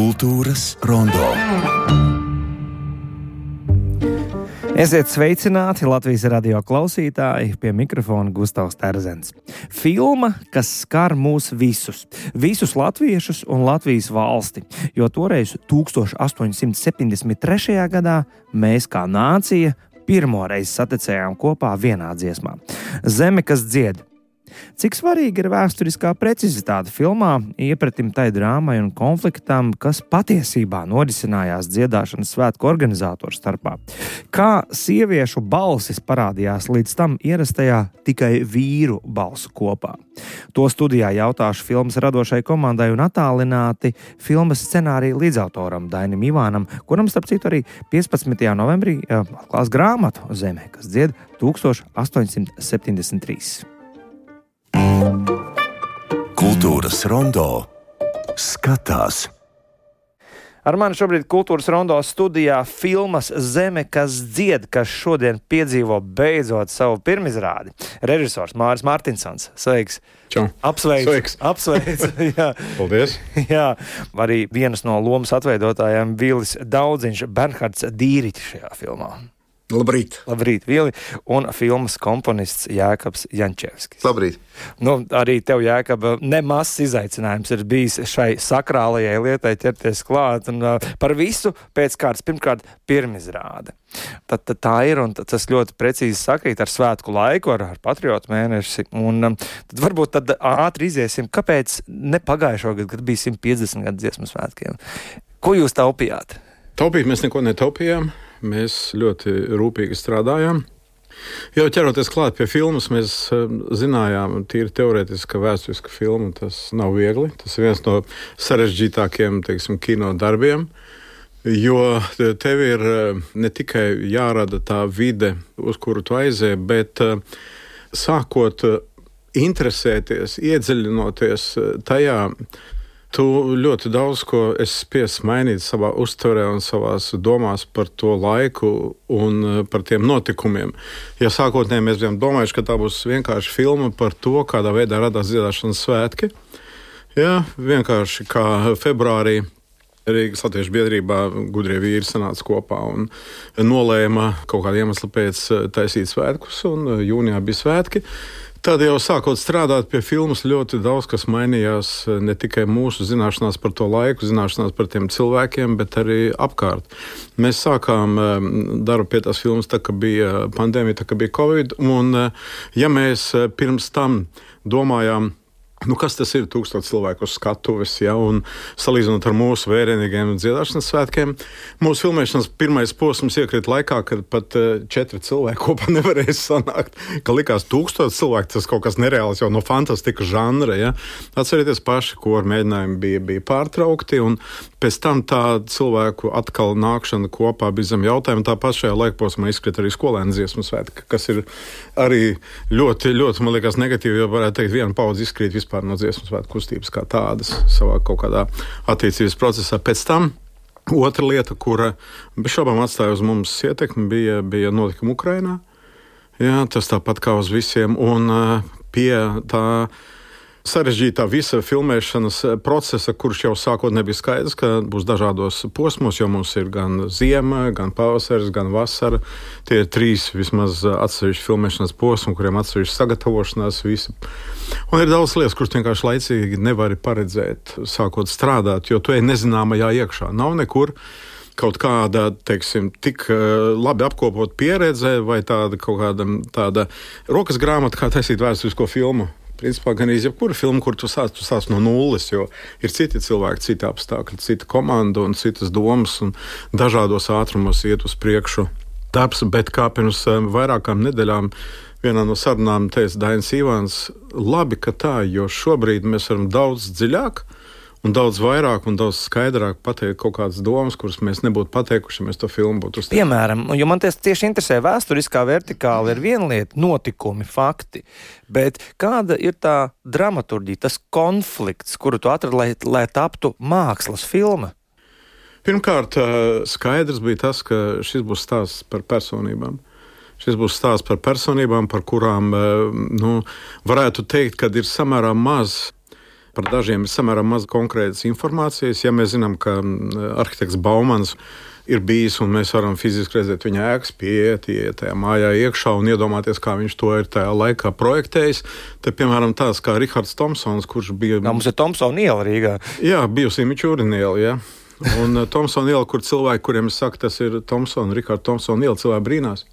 Kultūras rondo. Esiet sveicināti Latvijas radio klausītāji, pie mikrofona Gustavs Terzens. Filma, kas skar mūs visus latviešus un Latvijas valsti, jo toreiz 1873. gadā mēs kā nācija pirmoreiz saticējām kopā vienā dziesmā – Zeme, kas dzied. Cik svarīgi ir vēsturiskā precizitāte filmā, iepratim tai drāmai un konfliktam, kas patiesībā norisinājās dziedāšanas svētku organizatoru starpā. Kā sieviešu balsis parādījās līdz tam ierastajā tikai vīru balsu kopā. To studijā jautāšu filmas radošai komandai un attālināti filmas scenārija līdzautoram Dainim Ivānam, kuram starp citu arī 15. novembrī atklās grāmatu Zeme, kas dzied 1873. Kultūras rondo skatās. Ar mani šobrīd Kultūras rondo studijā filmas Zeme, kas dzied, kas šodien piedzīvo beidzot savu pirmizrādi. Režisors Māris Martinsons. Sveiks! Čau! Apsveic! Jā. Paldies! Jā, arī vienas no lomas atveidotājiem Vilis Daudziņš, Bernhards Dīriķis šajā filmā. Labrīt! Labrīt, Vili! Un filmas komponists Jēkabs Jančevskis. Labrīt! Arī tev, Jēkab, nemazs izaicinājums ir bijis šai sakrālajai lietai ķerties klāt. Un par visu pēc kārtas, pirmkārt, pirmizrāde. Tad tā ir, un tas ļoti precīzi sakrīt ar svētku laiku, ar patriotu mēnesi. Un tad varbūt tad ātri iziesim, kāpēc ne pagājušo gadu, kad bija 150 gadu dziesmu svētkiem. Ko jūs taupījāt? Taupīt mēs neko netaupījām. Mēs ļoti rūpīgi strādājām. Jau ķeroties klāt pie filmas, mēs zinājām, tīri teorētiski, ka vēsturiska filma tas nav viegli. Tas ir viens no sarežģītākiem, kino darbiem, jo tev ir ne tikai jārada tā vide, uz kuru tu aizēji, bet sākot interesēties, iedziļinoties tajā, tu ļoti daudz ko esi spiests mainīt savā uztverē un savās domās par to laiku un par tiem notikumiem. Ja sākotnēji mēs bijām domājuši, ka tā būs vienkārši filma par to, kādā veidā radās dziedāšanas svētki, vienkārši kā februārī Rīgas Latviešu biedrībā gudrie vīri sanāca kopā un nolēma kaut kādu iemeslu pēc taisīt svētkus, un jūnijā bija svētki. Tad jau sākot strādāt pie filmas, ļoti daudz kas mainījās, ne tikai mūsu zināšanās par to laiku, zināšanās par tiem cilvēkiem, bet arī apkārt. Mēs sākām darbu pie tās filmas, tā kā bija pandēmija, tā kā bija Covid, un ja mēs pirms tam domājām, kas tas ir 1000 cilvēku uz skatuves, un salīdzinot ar mūsu vērienīgiem dziedāšanas svētkiem, mūsu filmēšanas pirmais posms iekrīt laikā, kad pat 4 cilvēki kopā nevarēja sanākt, ka likās 1000 cilvēku, tas kaut kas nereāls jau no fantastika žanra, Atcerieties paši, ko ar mēģinājumu bija pārtraukti, un pēc tam tā cilvēku atkal nākšana kopā bija zem jautājumu, tāpat šajā laikposmā izkrīt arī skolēnu dziesmu svētki, kas ir arī ļoti, ļoti, man liekas, negatīvi, jo varētu teikt, viena paudze izkrīt vispār no dziesmu svētku kustības kā tādas savā kaut kādā attīstības procesā. Pēc tam otra lieta, kura bez šaubām atstāja uz mums ietekmi, bija notikumi Ukrainā. Tas tāpat kā uz visiem, un pie tā sarežģītā visa filmēšanas procesa, kurš jau sākot nebija skaidrs, ka būs dažādos posmos, jo mums ir gan ziema, gan pavasaris, gan vasara. Tie ir 3 vismaz atsevišķi filmēšanas posmi, kuriem atsevišķi sagatavošanās visi. Un ir daudz lietas, kuras vienkārši laicīgi nevari paredzēt, sākot strādāt, jo tu ej nezināmajā iekšā. Nav nekur kaut kāda, tik labi apkopot pieredze vai tāda rokas grāmata, kā taisīt vēsturisko filmu. Principā gan jebkura filma, kur tu sāc no nulles, jo ir citi cilvēki, citi apstākļi, cita komanda un citas domas un dažādos ātrumos iet uz priekšu darbs, bet kā pirms vairākām nedēļām vienā no sarunām teica Dainis Ivāns, labi, ka tā, jo šobrīd mēs varam daudz dziļāk un daudz vairāk un daudz skaidrāk pateikt kaut kādas domas, kuras mēs nebūtu pateikuši, ja mēs to filmu būtu uztaisījuši. Piemēram, jo man tieši interesē vēsturiskā vertikāla ir viena lieta, notikumi, fakti, bet kāda ir tā dramaturģija, tas konflikts, kuru tu atradi, lai taptu mākslas filma? Pirmkārt, skaidrs bija tas, ka šis būs stāsts par personībām. Šis būs stāsts par personībām, par kurām varētu teikt, ka ir samērā maz par dažiem ir samērā maz konkrētas informācijas. Ja mēs zinām, ka arhitekts Baumans ir bijis, un mēs varam fiziski redzēt viņa ēkas, iet tajā mājā iekšā un iedomāties, kā viņš to ir tajā laikā projektējis. Te, piemēram, tāds kā Rihards Tomsons, kurš bija... Mums ir Tomsona iela Rīgā. Jā, bijusi Mičūrina iela, jā. Un Tomsona iela, kur cilvēki, kuriem es saku, tas ir Rihards Tomsona iela, cilvēki brīnās.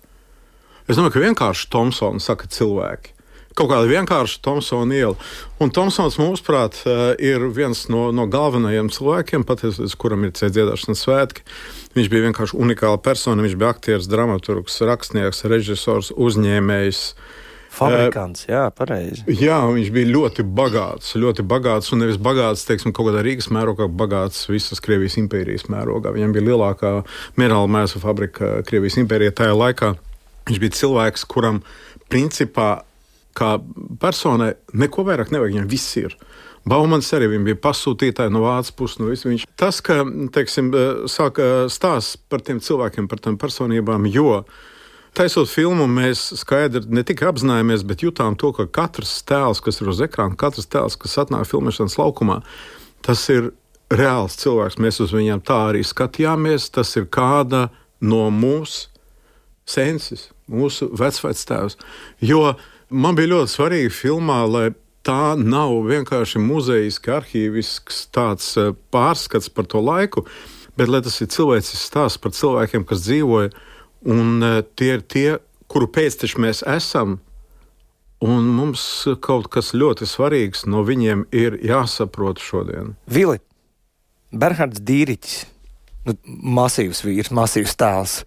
Es domāju, ka vienkārši Tomsona saka cilvēki. Kaut kāda vienkārša Tomsona iela. Un Tomsons, mūsuprāt, ir viens no galvenajiem cilvēkiem, pateicoties kuram ir dziedāšanas svētki. Viņš bija vienkārši unikāla persona. Viņš bija aktieris, dramaturgs, rakstnieks, režisors, uzņēmējs. Fabrikants, jā, pareizi. Jā, viņš bija ļoti bagāts, un nevis bagāts, teiksim, kaut kādā Rīgas mērogā, bagāts visas Krievijas impērijas mērogā. Viņam bija lielākā minerāla mēslu fabrika Krievijas impērijā tajā laikā. Viņš bija cilvēks, kuram principā kā personai neko vairāk nevajag, viņam viss ir. Baumans arī bija pasūtītāji no Vācijas puses. Tas, ka, teiksim, sāka stāsts par tiem cilvēkiem, par tām personībām, jo taisot filmu, mēs skaidri ne tikai apzinājāmies, bet jutām to, ka katrs tēls, kas ir uz ekrāna, katrs tēls, kas atnāk filmēšanas laukumā, tas ir reāls cilvēks. Mēs uz viņiem tā arī skatījāmies. Tas ir kāda no mūsu sensis, mūsu vecvectēvs. Jo man bija ļoti svarīgi filmā, lai tā nav vienkārši muzejiski, arhīvisks tāds pārskats par to laiku, bet lai tas ir cilvēcisks stāsts par cilvēkiem, kas dzīvoja, un tie ir tie, kuru pēcteči mēs esam, un mums kaut kas ļoti svarīgs no viņiem ir jāsaprot šodien. Vili, Bernhards Dīriķis, masīvs vīrs, masīvs tēls.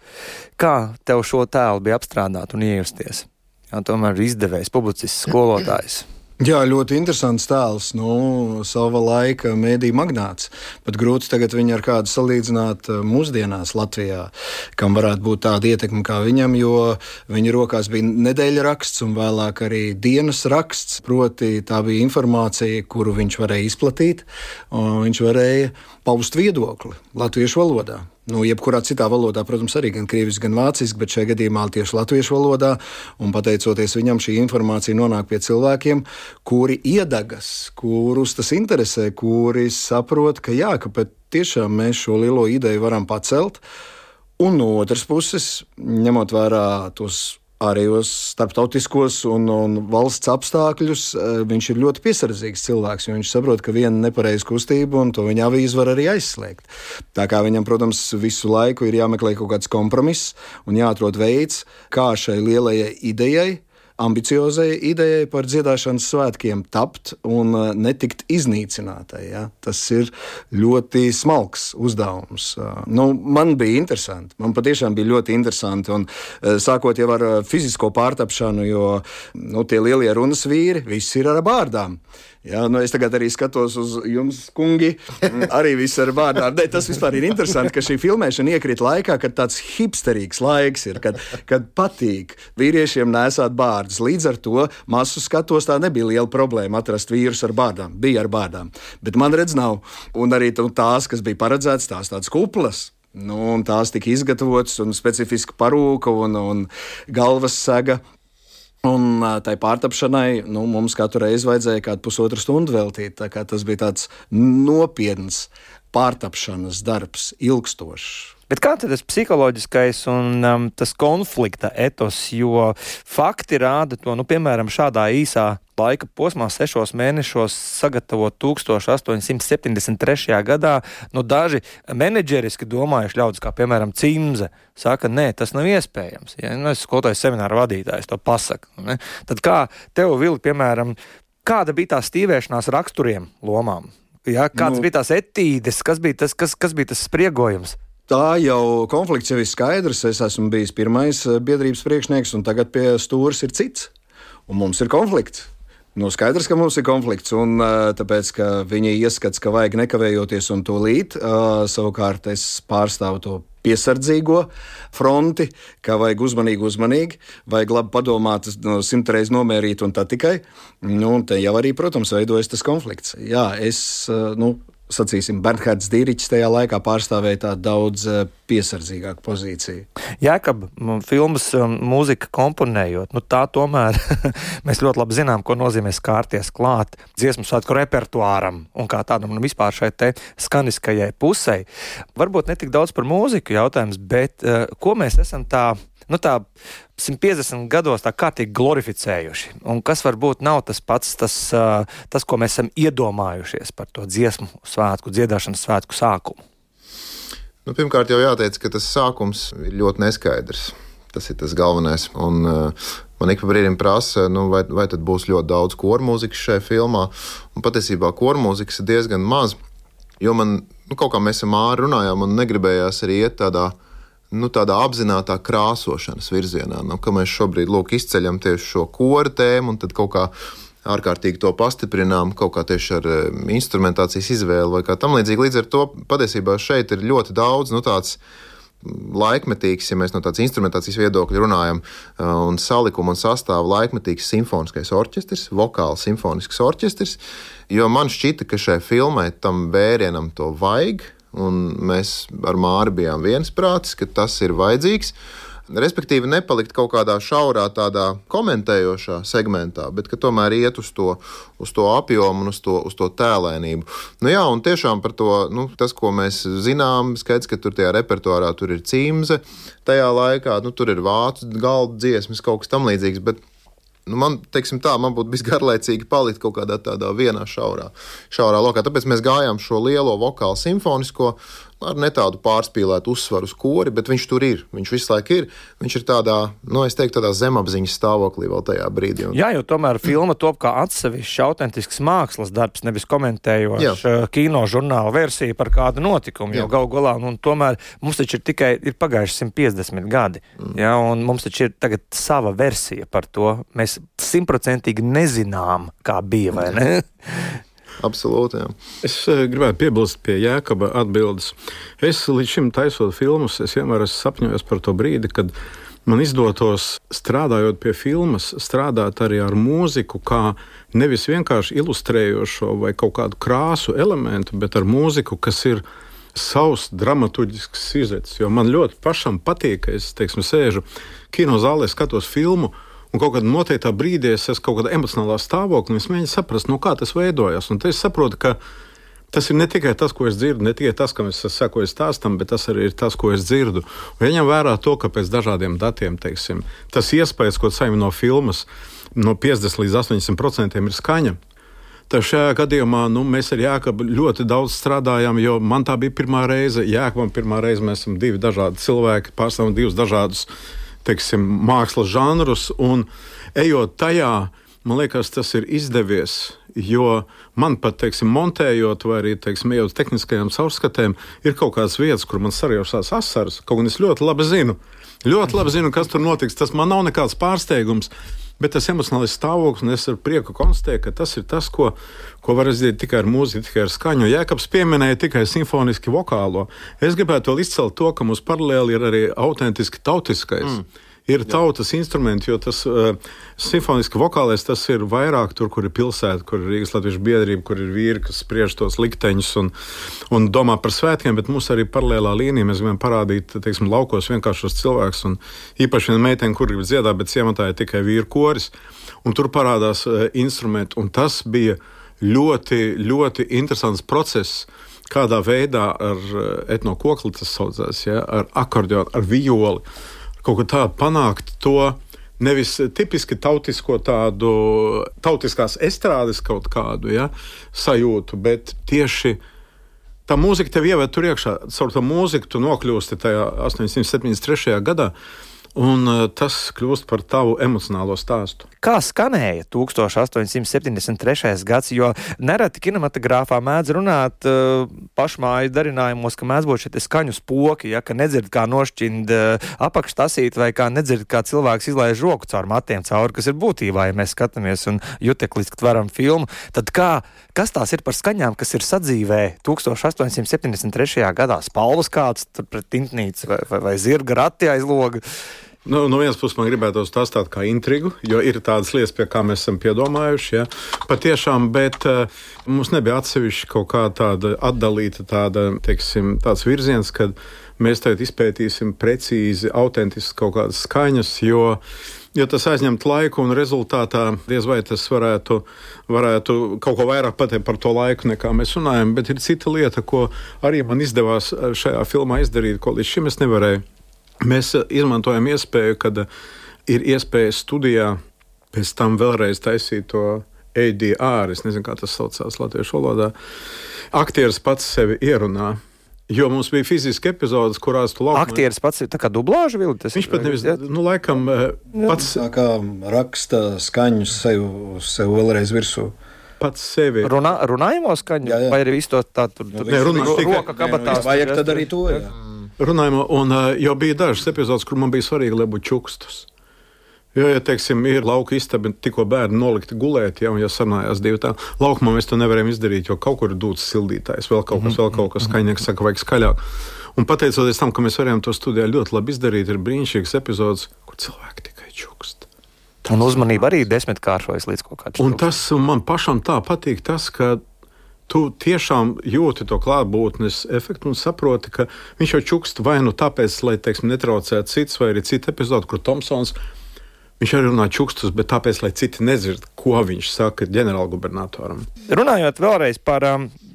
Kā tev šo tēlu bija apstrādāt un iejusties? Jā, tomēr izdevējs, publicists, skolotājs. Jā, ļoti interesants tēls. Sava laika mēdī magnāts. Pat grūti tagad viņu ar kādu salīdzināt mūsdienās Latvijā, kam varētu būt tāda ietekme kā viņam, jo viņa rokās bija nedēļa raksts un vēlāk arī dienas raksts. Proti tā bija informācija, kuru viņš varēja izplatīt, un viņš varēja paust viedokli latviešu valodā. Jebkurā citā valodā, protams, arī gan krieviski, gan vāciski, bet šajā gadījumā tieši latviešu valodā, un pateicoties viņam, šī informācija nonāk pie cilvēkiem, kuri iedegas, kurus tas interesē, kuri saprot, ka jā, ka tiešām mēs šo lielo ideju varam pacelt, un no otras puses, ņemot vērā tos ārējos starptautiskos un valsts apstākļus, viņš ir ļoti piesardzīgs cilvēks, jo viņš saprot, ka viena nepareiza kustība un to viņa avīzi var arī aizslēgt. Tā kā viņam, protams, visu laiku ir jāmeklē kaut kāds kompromiss un jāatrod veids, kā šai lielajai idejai, ambiciozai idejai par dziedāšanas svētkiem tapt un netikt iznīcinātai. Ja? Tas ir ļoti smalks uzdevums. Man bija interesanti. Man patiešām bija ļoti interesanti. Un, sākot jau ar fizisko pārtapšanu, jo tie lielie runas vīri, visi ir ar bārdām. Ja, es tagad arī skatos uz jums, kungi, arī viss ar bārdām. Tas vispār ir interesanti, ka šī filmēšana iekrīt laikā, kad tāds hipsterīgs laiks ir, kad patīk vīriešiem nēsāt bārdus. Līdz ar to masu skatos tā nebija liela problēma atrast vīrus ar bārdām. Bija ar bārdām, bet man redz nav. Un arī tās, kas bija paredzētas, tās tādas kuplas. Un tās tika izgatavotas un specifiska parūka un galvas sega. Un tai pārtapšanai mums katru reizi vajadzēja kādu pusotru stundu veltīt. Tā kā tas bija tāds nopietns pārtapšanas darbs, ilgstošs. Bet kā tad tas psiholoģiskais un tas konflikta etos, jo fakti rāda to, piemēram, šādā īsā laika posmā, 6 mēnešos sagatavot 1873. gadā, daži menedžeriski domājuši ļaudis, kā piemēram Cimze, saka, nē, tas nav iespējams. Ja? Es skolotāju semināru vadītājs to pasaku. Ne? Tad kā tev, Vili, piemēram, kāda bija tā stīvēšanās raksturiem lomām? Ja? Kādas bija tās etīdes, kas bija tas spriegojums? Tā jau konflikts jau ir skaidrs. Es esmu bijis pirmais biedrības priekšnieks, un tagad pie stūres ir cits. Un mums ir konflikts. Skaidrs, ka mums ir konflikts, un tāpēc, ka viņi ieskats, ka vajag nekavējoties un tūlīt. Savukārt es pārstāvu to piesardzīgo fronti, ka vajag uzmanīgi, vajag labi padomāt, 100 reizes nomērīt un tā tikai. Te jau arī, protams, veidojas tas konflikts. Jā, sacīsim, Bernhards Dīriķis tajā laikā pārstāvēja tādu daudz piesardzīgāka pozīcija. Jēkab, filmas mūzika komponējot, tā tomēr mēs ļoti labi zinām, ko nozīmē skārties klāt dziesmu svētku repertuāram un kā tādam vispār šai te skaniskajai pusei. Varbūt ne tik daudz par mūziku jautājums, bet ko mēs esam tā 150 gados tā kārtīgi glorificējuši. Un kas varbūt nav tas pats, tas, ko mēs esam iedomājušies par to dziesmu svētku, dziedāšanas svētku sākumu. Pirmkārt jau jāteic, ka tas sākums ir ļoti neskaidrs. Tas ir tas galvenais. Un man ik pa brīdim prasa, vai tad būs ļoti daudz kormūzikas šajā filmā. Un patiesībā kormūzikas ir diezgan maz, jo man, kaut kā mēs ar Māri runājām, un negribējās arī iet tādā apzinātā krāsošanas virzienā. Ka mēs šobrīd izceļam tieši šo kora tēmu, un tad kaut kā ārkārtīgi to pastiprinām, kaut kā tieši ar instrumentācijas izvēli vai kā tam līdzīgi. Līdz ar to patiesībā šeit ir ļoti daudz tāds laikmetīgs, ja mēs no tādas instrumentācijas viedokļa runājam, un salikuma un sastāva laikmetīgs simfoniskais orķestris, vokāls simfonisks orķestris, jo man šķita, ka šai filmai tam vērienam to vajag, un mēs ar Māri bijām viensprātis, ka tas ir vajadzīgs. Respektīvi nepalikt kaut kādā šaurā tādā komentējošā segmentā, bet ka tomēr iet uz to apjomu un uz to tēlēnību. Un tiešām par to, tas, ko mēs zinām, skaidrs, ka tur tajā repertuārā tur ir cimze, tajā laikā, tur ir vācu galdu dziesmas, kaut kas tam līdzīgs, bet man būtu bijis garlaicīgi palikt kaut kādā tādā vienā šaurā lokā. Tāpēc mēs gājām šo lielo vokālu simfonisko ar ne tādu pārspīlētu uzsvaru uz kori, bet viņš tur ir. Viņš visu laiku ir. Viņš ir tādā, tādā zemapziņas stāvoklī vēl tajā brīdī. Jā, jo tomēr filma top kā atsevišķs autentisks mākslas darbs, nevis komentējošs kino žurnāla versija par kādu notikumu. Jo galu galā, tomēr mums taču ir pagājuši 150 gadi. Jā, un mums taču ir tagad sava versija par to. Mēs 100% nezinām, kā bija, vai ne? Absolūti, jā. Es gribētu piebilst pie Jēkaba atbildes. Es līdz šim taisot filmus, es vienmēr esmu sapņojis par to brīdi, kad man izdotos, strādājot pie filmas, strādāt arī ar mūziku, kā nevis vienkārši ilustrējošo vai kaut kādu krāsu elementu, bet ar mūziku, kas ir savs dramaturģisks sižets. Jo man ļoti pašam patīk, ka es, sēžu kinozālē, skatos filmu, un kaut kādā noteiktā brīdī es esmu kaut kādā emocionālā stāvoklī, un es mēģinu saprast, kā tas veidojas. Un te es saprotu, ka tas ir ne tikai tas, ko es dzirdu, ne tikai tas, kam es sekoju stāstam, bet tas arī ir tas, ko es dzirdu. Un ņem vērā to, ka pēc dažādiem datiem, tas iespējas, ko saņem no filmas, no 50 līdz 80% ir skaņa. Tad šajā gadījumā mēs ar Jēkabu ļoti daudz strādājām, jo man tā bija pirmā reize. Jēkabam pirmā reize mēs esam divi dažādi cilvēki, pārstāvam divus dažādus mākslas žanrus, un ejot tajā, man liekas, tas ir izdevies, jo man pat, montējot vai arī, ejot tehniskajām caurskatēm, ir kaut kādas vietas, kur man sarjaušās asaras, kaut gan es ļoti labi zinu, kas tur notiks. Tas man nav nekāds pārsteigums, bet tas emocionālais stāvoklis, un es ar prieku konstatēju, ka tas ir tas, ko var izdarīt tikai ar mūziku, tikai ar skaņu. Jēkabs pieminēja tikai simfoniski vokālo. Es gribētu vēl izcelt to, ka mums paralēli ir arī autentiski tautiskais. Ir tautas instrumenti, jo tas simfoniski vokālais, tas ir vairāk tur, kur ir pilsēta, kur ir Rīgas Latviešu biedrība, kur ir vīri, kas spriež tos likteņus un domā par svētkiem, bet mums arī paralēlā līnija. Mēs gribam parādīt, laukos vienkāršos cilvēkus, un īpaši viena meitene, kur grib dziedāt, bet ciematā ir tikai vīru koris, un tur parādās instrumenti, un tas bija ļoti, ļoti interesants process, kādā veidā ar etnokokli tas saucās, ar akordeonu, ar violi, kaut kā tādu panākt to nevis tipiski tautiskās estrādes kaut kādu sajūtu, bet tieši tā mūzika tev ieved tur iekšā. Caur to mūziku tu nokļūsti tajā 873. gadā, un tas kļūst par tavu emocionālo stāstu. Kā skanēja 1873. gads, jo nereti kinematogrāfā mēdz runāt pašmāju darinājumos, ka mēdz būt šie skaņu spoki, ka nedzird kā nošķind apakštasīt vai kā nedzird kā cilvēks izlaiž roku caur matiem cauri, kas ir būtībā, ja mēs skatāmies un jutekliski tveram filmu, tad kas tās ir par skaņām, kas ir sadzīvē 1873. gadā? Spalvas kāds tur pret tintnīcu vai zirga rati aiz loga? No vienas puses man gribētu stāstīt kā intrigu, jo ir tādas lietas, pie kā mēs esam piedomājuši. Ja? Patiešām, bet mums nebija atsevišķi kaut kā tāda atdalīta tāds virziens, kad mēs tagad izpētīsim precīzi, autentiski kaut kādas skaņas, jo tas aizņemt laiku un rezultātā diez vai tas varētu kaut ko vairāk pateikt par to laiku, nekā mēs runājam, bet ir cita lieta, ko arī man izdevās šajā filmā izdarīt, ko līdz šim es nevarēju. Mēs izmantojam iespēju, kad ir iespēja studijā pēc tam vēlreiz taisīt to ADR, es nezinu, kā tas saucās latviešu valodā. Aktieris pats sevi ierunā, jo mums bija fiziski epizodes, kurās tu laukumā... Aktieris pats ir tā kā dublāža vildi? Viņš pat nevis, laikam, pats... Tā kā raksta skaņus sev vēlreiz virsū. Pats sevi... Runājamo skaņu? Jā. Vai arī visu to tā tur roka kabatās? Vajag tad arī to, jā. Runājumā, un jau bija dažas epizodes, kur man bija svarīgi, lai būtu čukstus. Jo, ja, teiksim, ir lauka istaba, tikko bērni nolikti gulēt, ja, un ja sarunājās divi tā, laukumā mēs to nevarējām izdarīt, jo kaut kur ir dūts sildītājs, vēl kaut kas, skaņnieks saka, vajag skaļāk. Un pateicoties tam, ka mēs varējām to studijā ļoti labi izdarīt, ir brīnišķīgas epizodes, kur cilvēki tikai čukst. Un uzmanība arī 10-kāršojas līdz kaut kādam. Un tas man pašam tā patīk, tas, ka tu tiešām jūti to klātbūtnes efektu un saproti, ka viņš jau čukst vai nu tāpēc, lai, teiksim, netraucētu cits, vai arī cita epizode, kur Tomsons, viņš arī runā čukstus, bet tāpēc, lai citi nedzird, ko viņš saka ģenerālgubernatoram. Runājot vēlreiz par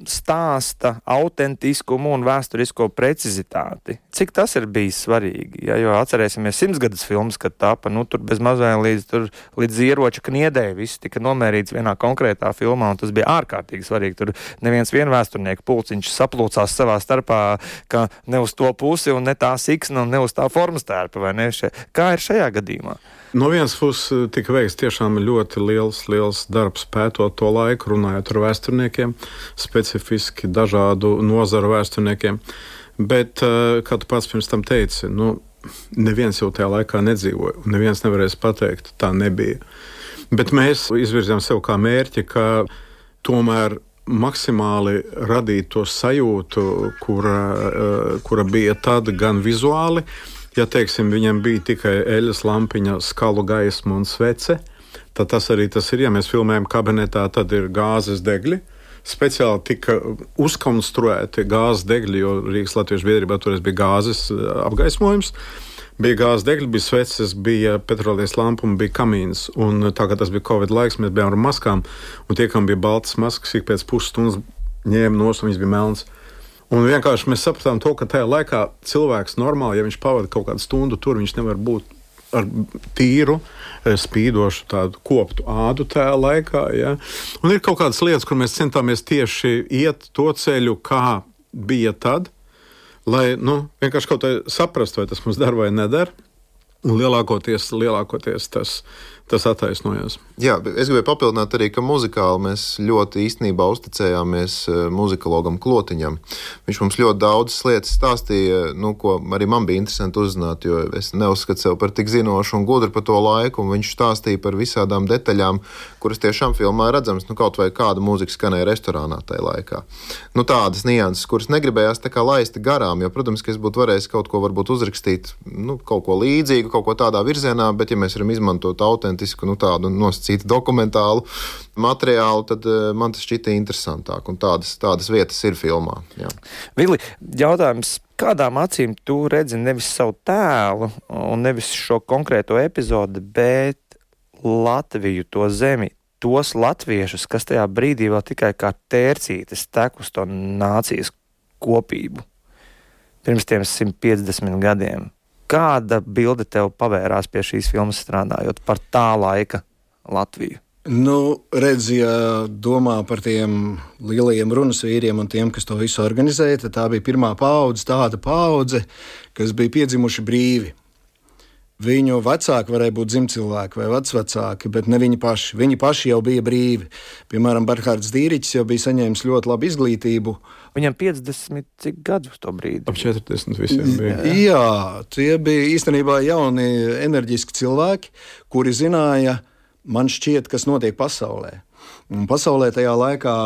stāsta autentiskumu un vēsturisko precizitāti, cik tas ir bijis svarīgi? Ja, jo atcerēsimies 100 gadus filmas, kad tāpa, tur bez mazai līdz ieroča kniedēji viss tika nomērīts vienā konkrētā filmā, un tas bija ārkārtīgi svarīgi. Tur neviens vēsturnieku pulciņš saplūcās savā starpā, ka ne uz to pusi un ne tā siksna un ne uz tā formas tērpa, vai ne? Kā ir šajā gadījumā? No vienas puses tika veikts tiešām ļoti liels darbs pētot to laiku, runājot ar vēsturniekiem, specifiski dažādu nozaru vēsturniekiem. Bet, kā tu pats pirms tam teici, neviens jau tajā laikā nedzīvoja, un neviens nevarēs pateikt, tā nebija. Bet mēs izvirzījām sev kā mērķi, ka tomēr maksimāli radīt to sajūtu, kura bija tad gan vizuāli. Ja, teiksim, viņam bija tikai eļas lampiņa, skalu gaisma un svece, tad tas arī tas ir. Ja mēs filmējam kabinetā, tad ir gāzes degļi. Speciāli tika uzkonstruēti gāzes degļi, jo Rīgas Latviešu biedrībā toreiz bija gāzes apgaismojums. Bija gāzes degļi, bija sveces, bija petrolijas lampa un bija kamīns. Un tā kā tas bija Covid laiks, mēs bijām ar maskām, un tie, kam bija baltas maskas, ik pēc pusstundas ņēma nos, un viņas bija melns. Un vienkārši mēs sapratām to, ka tajā laikā cilvēks normāli, ja viņš pavada kaut kādu stundu tur, viņš nevar būt ar tīru, spīdošu tādu koptu ādu tajā laikā. Ja? Un ir kaut kādas lietas, kur mēs centāmies tieši iet to ceļu, kā bija tad, lai vienkārši kaut kā saprast, vai tas mums der vai neder. Un lielākoties tas attaisnojās. Jā, es gribēju papildināt arī, ka muzikāli mēs ļoti īstenībā uzticējāmies muzikologam Klotiņam. Viņš mums ļoti daudzas lietas stāstīja, ko arī man bija interesanti uzzināt, jo es neuzskatu sev par tik zinošu un gudru par to laiku, un viņš stāstīja par visādām detaļām, kuras tiešām filmā redzams, kaut vai kāda mūzika skanēja restorānā tajā laikā. Tādas nianses, kuras negribējās tā kā laist garām, jo, protams, ka es būtu varējis kaut ko varbūt uzrakstīt, kaut ko līdzīgu, kaut ko tādā virzienā, bet ja mēs varam izmantot autentisku, tādu nosacītu dokumentālu materiālu, tad man tas šķita interesantāk, un tādas vietas ir filmā. Jā. Vili, jautājums, kādām acīm tu redzi nevis savu tēlu un nevis šo konkrēto epizodi, bet Latviju, to zemi, tos latviešus, kas tajā brīdī vēl tikai kā tērcītes tek uz to nācijas kopību pirms tiem 150 gadiem? Kāda bilde tev pavērās pie šīs filmas strādājot par tā laika Latviju? Redz, ja domā par tiem lielajiem runas vīriem un tiem, kas to visu organizēja, tad tā bija pirmā paudze, tāda paudze, kas bija piedzimuši brīvi. Viņu vecāki varēja būt dzimcilvēki vai vecvecāki, bet ne viņi paši. Viņi paši jau bija brīvi. Piemēram, Berhards Dīriķis jau bija saņēmis ļoti labu izglītību. Viņam 50 cik gadus to brīdi? Ap 40 visiem bija. Jā, tie bija īstenībā jauni, enerģiski cilvēki, kuri zināja, man šķiet, kas notiek pasaulē. Un pasaulē tajā laikā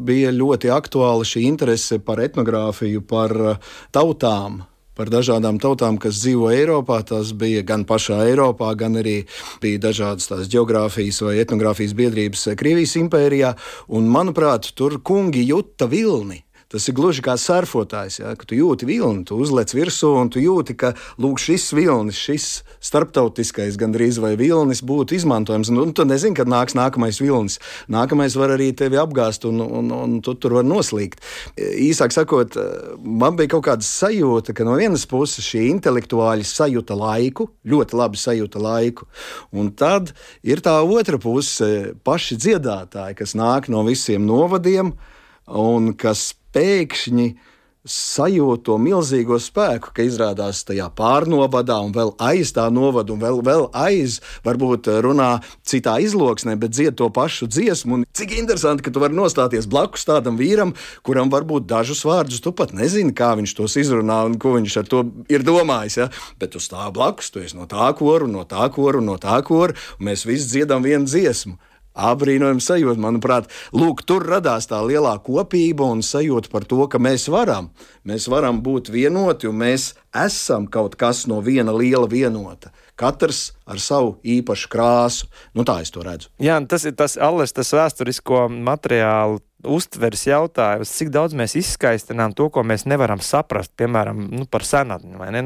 bija ļoti aktuāla šī interese par etnogrāfiju, par tautām. par dažādām tautām, kas dzīvo Eiropā. Tas bija gan pašā Eiropā, gan arī bija dažādas tās geogrāfijas vai etnogrāfijas biedrības Krievijas impērijā. Un, manuprāt, tur kungi juta vilni. Tas ir gluži kā surfotājs, ja? Ka tu jūti vilni, tu uzlec virsū un tu jūti, ka lūk, šis vilnis, šis starptautiskais gandrīz vai vilnis būtu izmantojams. Un tu nezini, kad nāks nākamais vilnis. Nākamais var arī tevi apgāzt un tu tur var noslīgt. Īsāk sakot, man bija kaut kāda sajūta, ka no vienas puses šie intelektuāļi sajūta laiku, ļoti labi sajūta laiku. Un tad ir tā otra puse, paši dziedātāji, kas nāk no visiem novadiem un kas pēkšņi sajūt to milzīgo spēku, ka izrādās tajā pārnovadā un vēl aiz tā novada un vēl aiz, varbūt runā citā izloksnē, bet dzied to pašu dziesmu. Un cik interesanti, ka tu vari nostāties blakus tādam vīram, kuram varbūt dažus vārdus tu pat nezini, kā viņš tos izrunā un ko viņš ar to ir domājis. Ja? Bet tu stāv blakus, tu esi no tā koru, no tā koru, no tā koru, un mēs visi dziedam vienu dziesmu. Abrīnojami sajūta, manuprāt, lūk, tur radās tā lielā kopība un sajūta par to, ka mēs varam būt vienoti un mēs esam kaut kas no viena liela vienota. Katrs ar savu īpašu krāsu. Nu, tā es to redzu. Jā, tas ir tas vēsturisko materiālu uztveres jautājums, cik daudz mēs izskaistinām to, ko mēs nevaram saprast, piemēram, par senatni, vai ne?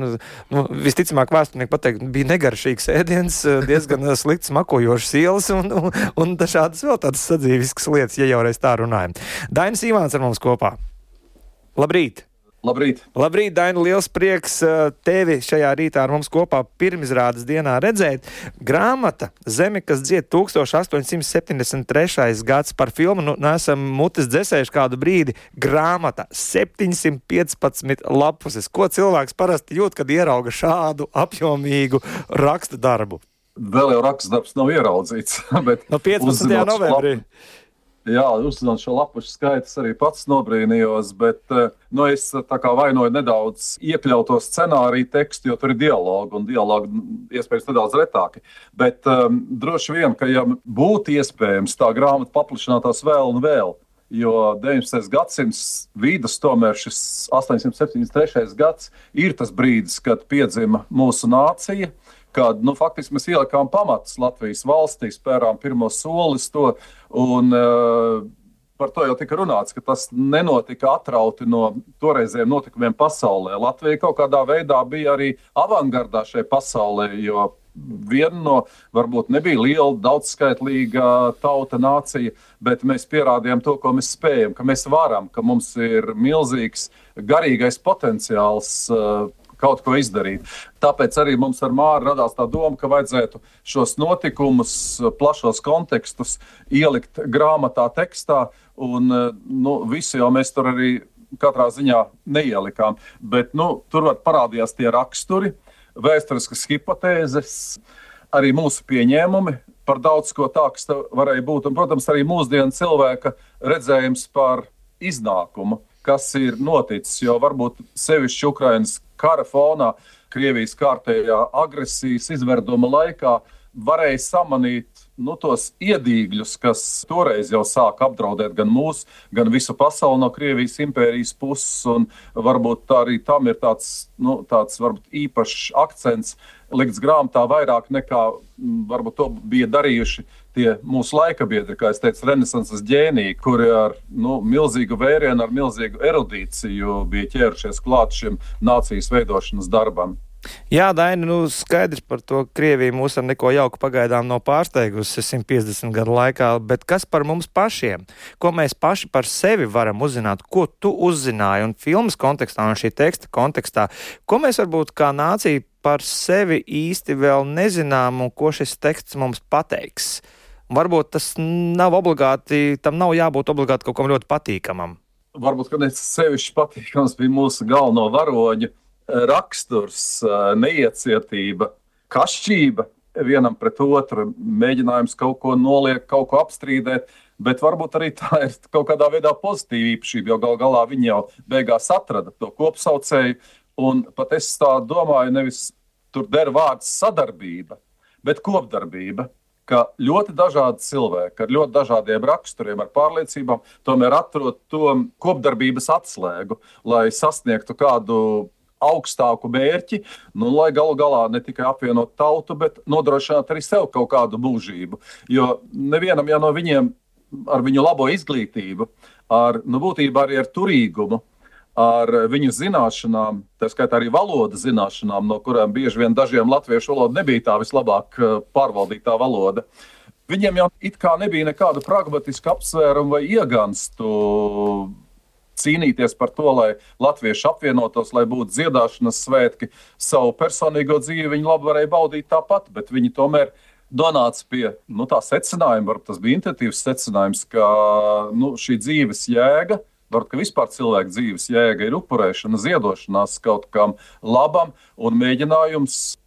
Visticamāk, vēsturnieki pateikt, bija negaršīgs ēdiens, diezgan slikts makojošs ielas un dažādas vēl tādas sadzīviskas lietas, ja jau reiz tā runājam. Dainis Ivāns ar mums kopā. Labrīt! Labrīt! Labrīt, Daini, liels prieks tevi šajā rītā ar mums kopā pirmizrādes dienā redzēt. Grāmata Zeme, kas dzied 1873. gads par filmu, neesam mutes dzesējuši kādu brīdi. Grāmata 715 lapuses. Ko cilvēks parasti jūt, kad ierauga šādu apjomīgu raksta darbu? Vēl jau raksta darbs nav ieraudzīts. Bet no 15. novembrī. Jā, uzzinot šo lapušu skaitus arī pats nobrīnījos, bet es tā kā vainoju nedaudz iekļauto scenāriju tekstu, jo tur ir dialogu, un dialogu iespējams nedaudz retāki. Bet droši vien, ka ja būtu iespējams tā grāmata paplašinātos vēl un vēl, jo 19. gadsimts vidus, tomēr šis 873. gads ir tas brīdis, kad piedzima mūsu nācija, kad faktiski mēs ielikām pamatus Latvijas valstī, spērām pirmo solis to, un par to jau tika runāts, ka tas nenotika atrauti no toreizējiem notikumiem pasaulē. Latvija kaut kādā veidā bija arī avangardā šai pasaulē, jo viena no, varbūt nebija liela, daudzskaitlīga tauta, nācija, bet mēs pierādījām to, ko mēs spējam, ka mēs varam, ka mums ir milzīgs garīgais potenciāls kaut ko izdarīt. Tāpēc arī mums ar Māru radās tā doma, ka vajadzētu šos notikumus, plašos kontekstus ielikt grāmatā tekstā, un visu jau mēs tur arī katrā ziņā neielikām. Bet tur parādījās tie raksturi, vēsturiskas hipotēzes, arī mūsu pieņēmumi par daudz ko tā, kas varēja būt. Un, protams, arī mūsdienu cilvēka redzējums par iznākumu, kas ir noticis, jo varbūt sevišķi Ukrainas kara fonā, Krievijas kārtējā agresijas izverduma laikā varēja samanīt tos iedīgļus, kas toreiz jau sāk apdraudēt gan mūs, gan visu pasauli no Krievijas impērijas puses, un varbūt arī tam ir tāds varbūt īpašs akcents likts grāmatā vairāk nekā varbūt to bija darījuši tie mūsu laika biedri, kā es teicu, renesanses ģēniji, kuri ar milzīgu vērienu, ar milzīgu erudīciju bija ķērušies klāt šim nācijas veidošanas darbam. Jā, Daini, skaidrs par to, Krievija mūs ar neko jauku pagaidām nav pārsteigusi 150 gadu laikā, bet kas par mums pašiem? Ko mēs paši par sevi varam uzzināt? Ko tu uzzināji un filmas kontekstā un šī teksta kontekstā? Ko mēs varbūt kā nācija par sevi īsti vēl nezinām un ko šis teksts mums pateiks? Varbūt tas nav obligāti, tam nav jābūt obligāti kaut kam ļoti patīkamam. Varbūt, ka sevišķi patīkams bija mūsu galveno varoņu raksturs, neiecietība, kašķība vienam pret otru, mēģinājums kaut ko noliekt, kaut ko apstrīdēt, bet varbūt arī tā ir kaut kādā veidā pozitīva īpašība, jo gal galā viņi jau beigās atrada to kopsaucēju, un pat es tā domāju, nevis tur der vārds sadarbība, bet kopdarbība, ka ļoti dažādi cilvēki ar ļoti dažādiem raksturiem, ar pārliecībām, tomēr atrod to kopdarbības atslēgu, lai sasniegtu kādu augstāku mērķi, lai galu galā ne tikai apvienot tautu, bet nodrošināt arī sev kaut kādu mūžību. Jo nevienam no viņiem ar viņu labo izglītību, būtībā arī ar turīgumu, ar viņu zināšanām, tā skaitā arī valodas zināšanām, no kurām bieži vien dažiem latviešu valoda nebija tā vislabāk pārvaldītā valoda. Viņiem jau it kā nebija nekādu pragmatisku apsvērumu vai ieganstu cīnīties par to, lai latvieši apvienotos, lai būtu dziedāšanas svētki. Savu personīgo dzīvi viņi labi varēja baudīt tāpat, bet viņi tomēr nonāca pie tā secinājuma, varbūt tas bija intuitīvs secinājums, ka šī dzīves jēga, varbūt ka vispār cilvēka dzīves jēga ir upurēšana, ziedošanās kaut kam labam un mēģinājums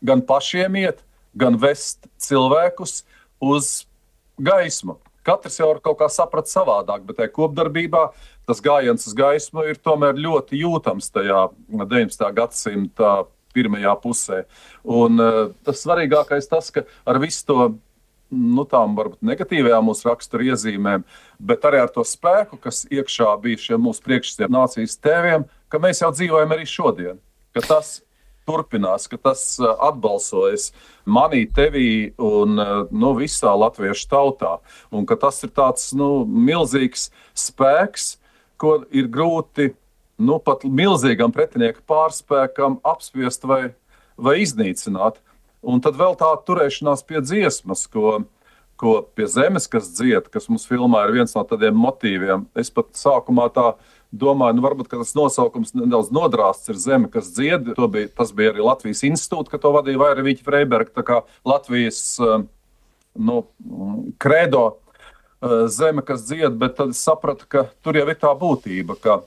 gan pašiem iet, gan vest cilvēkus uz gaismu. Katrs jau var kaut kā saprast savādāk, bet tajā kopdarbībā tas gājiens uz gaismu ir tomēr ļoti jūtams tajā 19. gadsimta pirmajā pusē. Un tas svarīgākais tas, ka ar visu to tām varbūt negatīvajām mūsu rakstura iezīmēm, bet arī ar to spēku, kas iekšā bija šiem mūsu priekšstāviem nācijas tēviem, ka mēs jau dzīvojam arī šodien, ka tas turpinās, ka tas atbalsojas manī, tevī un visā latviešu tautā. Un ka tas ir tāds milzīgs spēks, ko ir grūti pat milzīgam pretinieku pārspēkam apspiest vai iznīcināt. Un tad vēl tā turēšanās pie dziesmas, ko pie zemes, kas dzied, kas mums filmā ir viens no tādiem motīviem. Es pat sākumā tā domāju, varbūt tas nosaukums nedaudz nodrāsts ir Zeme, kas dzied. Tas bija arī Latvijas institūta, ka to vadīja Vairevīķa Freiberga, tā kā Latvijas kredo Zeme, kas dzied, bet tad es sapratu, ka tur jau ir tā būtība, ka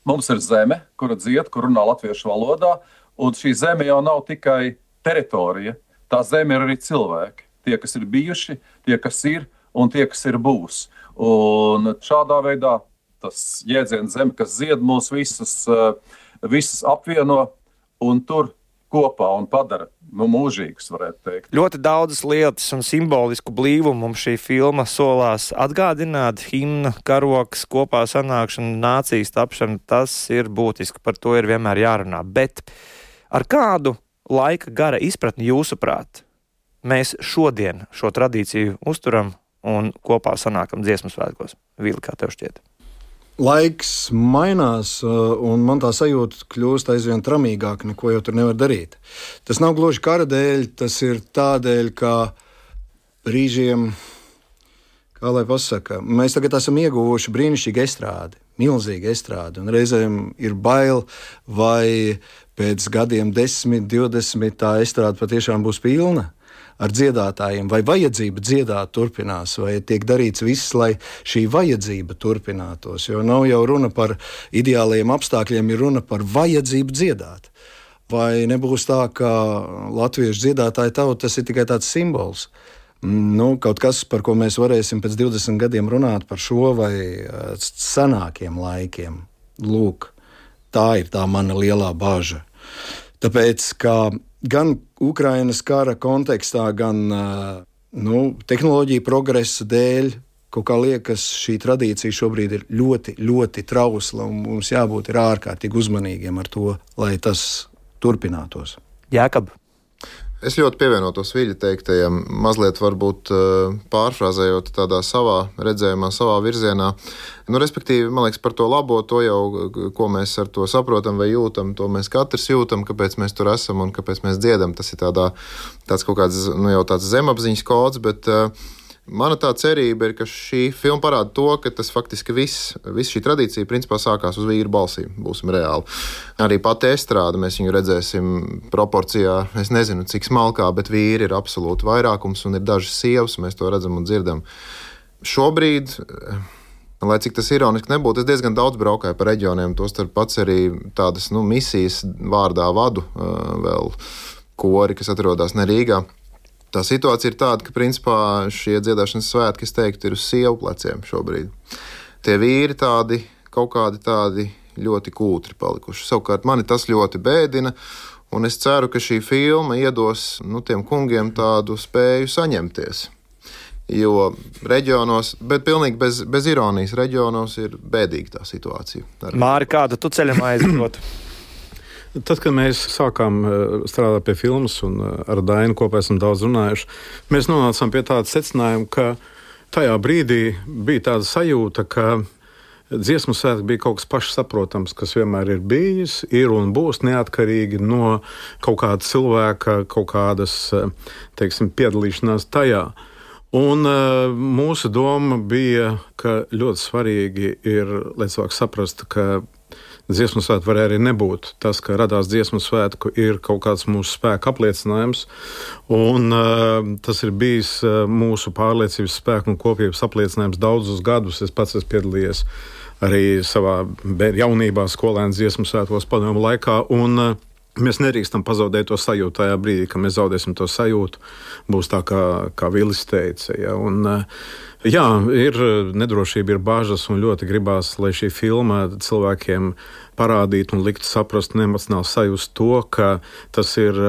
mums ir zeme, kura dzied, kur runā latviešu valodā, un šī zeme jau nav tikai teritorija, tā zeme ir arī cilvēki. Tie, kas ir bijuši, tie, kas ir un tie, kas ir būs. Un šādā veidā tas jēdziens zeme, kas zied mūs visus apvieno un tur kopā un padara mūžīgus, varētu teikt. Ļoti daudzas lietas un simbolisku blīvumu mums šī filma solās atgādināt. Himna, karoks, kopā sanākšana, nācijas tapšana, tas ir būtiski, par to ir vienmēr jārunā. Bet ar kādu laika gara izpratni jūsuprāt mēs šodien šo tradīciju uzturam un kopā sanākam dziesmu svētkos? Vili, kā tev šķiet? Laiks mainās, un man tā sajūta kļūst aizvien tramīgāk, neko jau tur nevar darīt. Tas nav gluži kara dēļ, tas ir tādēļ, ka brīžiem, kā lai pasaka, mēs tagad esam ieguvuši brīnišķīgu estrādi, milzīgu estrādi, un reizēm ir bail, vai pēc gadiem 10, 20 tā estrāde patiešām būs pilna ar dziedātājiem, vai vajadzība dziedāt turpinās, vai tiek darīts viss, lai šī vajadzība turpinātos. Jo nav jau runa par ideāliem apstākļiem, ir runa par vajadzību dziedāt. Vai nebūs tā, ka latviešu dziedātāja tauta tas ir tikai tāds simbols? Kaut kas, par ko mēs varēsim pēc 20 gadiem runāt par šo vai senākiem laikiem. Lūk, tā ir tā mana lielā bāža. Tāpēc, ka gan Ukrainas kara kontekstā, gan tehnoloģiju progresa dēļ, kaut kā liekas, šī tradīcija šobrīd ir ļoti, ļoti trausla, un mums jābūt ārkārtīgi uzmanīgiem ar to, lai tas turpinātos. Jākab. Es ļoti pievienotos Viļa teiktajam, mazliet varbūt pārfrāzējot tādā savā redzējumā, savā virzienā. Respektīvi, man liekas, par to labo, to jau, ko mēs ar to saprotam vai jūtam, to mēs katrs jūtam, kāpēc mēs tur esam un kāpēc mēs dziedam. Tas ir tāds kaut kāds, jau tāds zemapziņas kods, bet mana tā cerība ir, ka šī filma parāda to, ka tas faktiski viss šī tradīcija principā sākās uz vīru balsīm, būsim reāli. Arī pati estrāde, mēs viņu redzēsim proporcijā, es nezinu, cik smalkā, bet vīri ir absolūti vairākums un ir dažas sievas, mēs to redzam un dzirdam. Šobrīd, lai cik tas ironiski nebūtu, es diezgan daudz braukāju pa reģioniem, tostarp pats arī tādas misijas vārdā vadu vēl kori, kas atrodas ne Rīgā. Tā situācija ir tāda, ka principā šie dziedāšanas svētki, es teiktu, ir uz sievu pleciem šobrīd. Tie vīri kaut kādi ļoti kūtri palikuši. Savukārt mani tas ļoti bēdina, un es ceru, ka šī filma iedos tiem kungiem tādu spēju saņemties. Jo reģionos, bet pilnīgi bez ironijas, reģionos ir bēdīga tā situācija. Māri, kādu tu ceļam aizdotu? Tad, kad mēs sākām strādāt pie filmas un ar Dainu kopā esam daudz runājuši, mēs nonācām pie tāda secinājuma, ka tajā brīdī bija tāda sajūta, ka dziesmu svētki bija kaut kas pašsaprotams, kas vienmēr ir bijis, ir un būs neatkarīgi no kaut kāda cilvēka, kaut kādas, teiksim, piedalīšanās tajā. Un mūsu doma bija, ka ļoti svarīgi ir, lai cilvēks saprastu, ka dziesmu svētku var arī nebūt. Tas, ka radās dziesmu svētku, ir kaut kāds mūsu spēka apliecinājums, un tas ir bijis mūsu pārliecības spēku un kopības apliecinājums daudzus gadus. Es pats esmu piedalījies arī savā jaunībā skolēnu dziesmu svētkos padomju laikā, un mēs nedrīkstam pazaudēt to sajūtu tajā brīdī, kad mēs zaudēsim to sajūtu. Būs tā, kā Vilis teica. Ja? Un, jā, ir nedrošība, ir bāžas, un ļoti gribās, lai šī filma cilvēkiem parādītu un liktu saprast un emocionāli sajust to, ka tas ir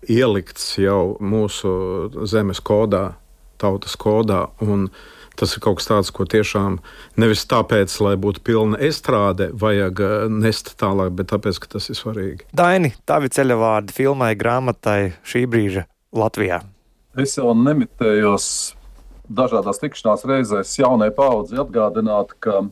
ielikts jau mūsu zemes kodā, tautas kodā, un tas ir kaut kas tāds, ko tiešām nevis tāpēc, lai būtu pilna estrāde, vajag nest tālāk, bet tāpēc, ka tas ir svarīgi. Daini, tavi ceļavārdi filmai, grāmatai šī brīža Latvijā. Es jau nemitējos dažādās tikšanās reizēs jaunai paudzi atgādināt, ka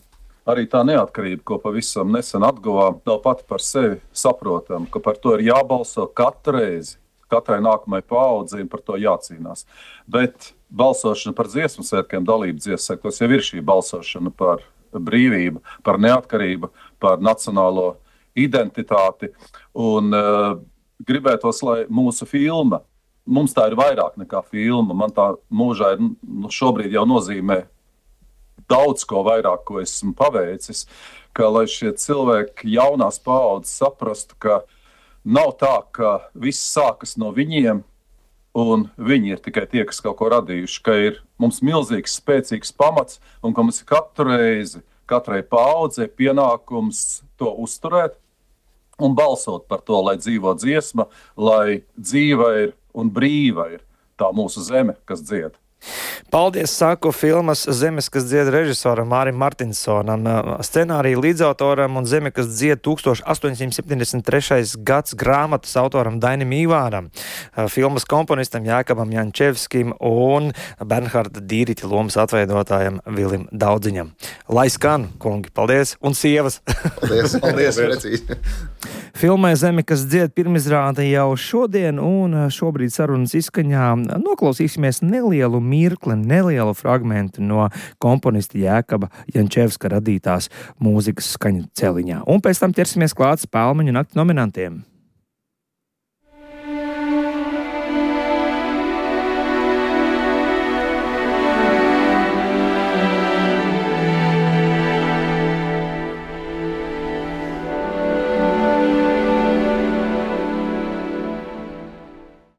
arī tā neatkarība, ko pavisam nesen atguvām, nav pati par sevi saprotama, ka par to ir jābalso katru reizi. Katrai nākamajai paaudzei par to jācīnās. Bet balsošana par dziesmu svētkiem, dalība dziesmu svētkos jau ir šī balsošana par brīvību, par neatkarību, par nacionālo identitāti. Un gribētos, lai mūsu filma, mums tā ir vairāk nekā filma, man tā mūžā ir, šobrīd jau nozīmē daudz ko vairāk, ko esmu paveicis, ka lai šie cilvēki jaunās paaudzes saprastu, ka nav tā, ka viss sākas no viņiem, un viņi ir tikai tie, kas kaut ko radījuši, ka ir mums milzīgs, spēcīgs pamats, un ka mums ir katru reizi, katrai paaudzei pienākums to uzturēt un balsot par to, lai dzīvo dziesma, lai dzīva ir un brīva ir tā mūsu zeme, kas dzied. Paldies, saku filmas Zemes, kas dzied režisoram Mārim Martinsonam, scenārija līdzautoram un Zeme, kas dzied 1873. gads grāmatas autoram Dainim Ivāram, filmas komponistam Jākabam Jančevskim un Bernharda Dīriķa lomas atveidotājam Vilim Daudziņam. Lai skan, kungi, paldies, un sievas! Paldies, paldies, precīzi! Filmai Zeme, kas dzied pirmizrāde jau šodien, un šobrīd sarunas izskaņā noklausīsimies nelielu mirkli, nelielu fragmentu no komponista Jākaba Jančevska radītās mūzikas skaņu celiņā. Un pēc tam ķersimies klāt Spēlmeņu nakti nominantiem.